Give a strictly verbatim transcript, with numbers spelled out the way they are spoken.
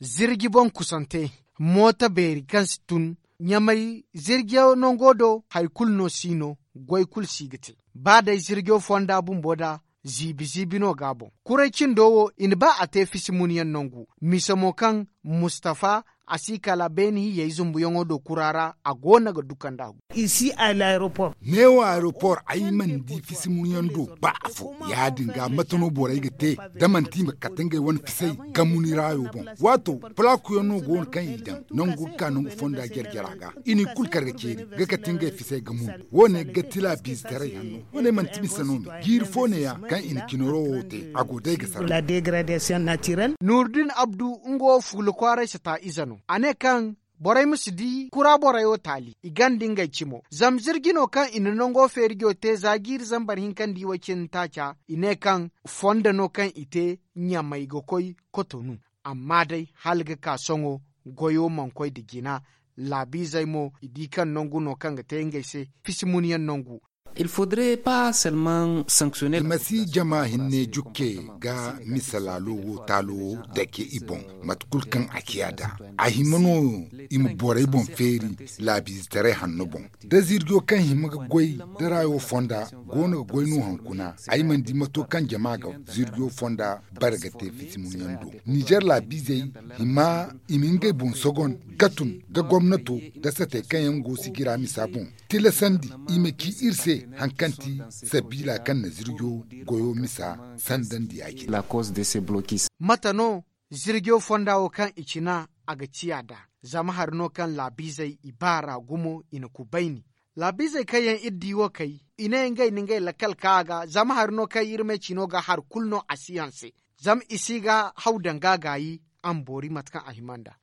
Zirji boŋ kusante, mooto beeri kaŋ si tun ɲamay zirjo nango do hari kulu no si no. Goy kulu si ga te ba day zirjo fonda bumbo da ziibi ziibi no ga a boŋ. Kuray cindo wo i na ba a te fisi munyaŋ nangu, mise mo kaŋ mustafa a si kala beene hiyey zumbuyaŋo do kura ra a go no ga du kand'a gu. Neewo aeropor ay mana di fisi munyaŋ do ba afo. Ya- din ga mate no borey ga te da manti i ma kate ngey wane fisey ga muni raayo boŋ. Waato, palakuyaŋ no go no kaŋ i daŋ nangu ga ka nangu fonda jare jare a ga. I n'i kulu kar ga ceeri ga kate ngey fisey ga munu. Wo- ne ga ti laabiizetaray hanno. Wo- ne manti mise no me jiiri fo neeya kaŋ i na cinaro wo te a go day ga sara. Nuurdin abdu nga wo fuula kwaaray si ta ize no a ne kaŋ borey ma si di kura borey wo taali i ganda ngey cimo zama zirji no kaŋ i na nango feerijo te za jiiri zambar hinka nda i way cindi taaca. I ne kaŋ fondo no kaŋ i te ɲamay ga koy kotonu. Amma day hala ga ka sohõ goyo mana koy nda jina. Laabiizey mo i di kaŋ nangu no kaŋ ga te ngey se fisi munyaŋ nangu. I ma si jama hinne jukke ga mise laalo wo taalo dake i boŋ. Mate kulu kaŋ a ciya nd'a a hima no i ma borey boŋ feeri laabiizetaray hanno boŋ. Da zirjo kaŋ hima ga goy da raayo fonda go no ga goy no hunkuna. Ay mana di mato kaŋ jama ga zirjo fonda bare ga te fisi munyaŋ do. Nizer laabiizey hima i ma ngey boŋ sogon ga tun da gomnato da satey kaŋ yaŋ go sijira misa boŋ tilasandi i ma ci iri se. Hari kaŋ ti sabiila kaŋ na zirjo goyo misa sandandi ya- cine. Mate no zirjo fonda wo kaŋ i cina a ga ciya nd'a? Zama hari no kaŋ laabiizey i baar'a gumo i na kubayni. Laabiizey kaŋ yaŋ iri di wo kay i ne ngey na ngey lakkal ka a ga zama hari no kaŋ iri me cino ga hari kulu no a si hanse. Zama i si ga haw danga gaayi a ma boori mate kaŋ a hima nd'a.